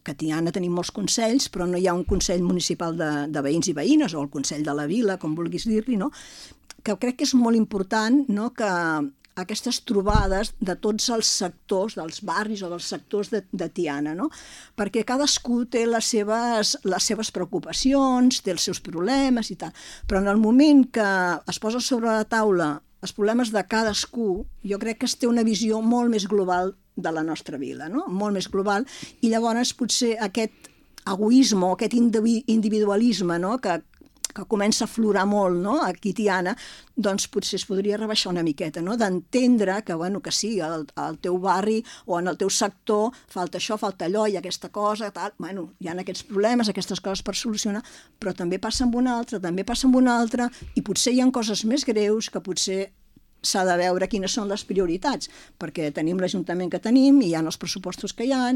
que a Tiana tenim molts consells, però no hi ha un consell municipal de veïns i veïnes, o el consell de la vila, com vulguis dir-li, no? Que crec que és molt important, no?, que aquestes trobades de tots els sectors, dels barris o dels sectors de Tiana, no? Perquè cadascú té les seves preocupacions, té els seus problemes i tal, però en el moment que es posa sobre la taula els problemes de cadascú, jo crec que es té una visió molt més global de la nostra vila, no? Molt més global, i llavors potser aquest egoisme o aquest individualisme, no?, que comença a aflorar molt, no?, aquí a Tiana, doncs potser es podria rebaixar una miqueta, no?, d'entendre que, bueno, que sí, al teu barri o en el teu sector falta això, falta allò, i aquesta cosa, tal, bueno, hi ha aquests problemes, aquestes coses per solucionar, però també passa amb una altra, també passa amb una altra, i potser hi ha coses més greus que potser s'ha de veure quines són les prioritats, perquè tenim l'Ajuntament que tenim, i hi ha els pressupostos que hi ha,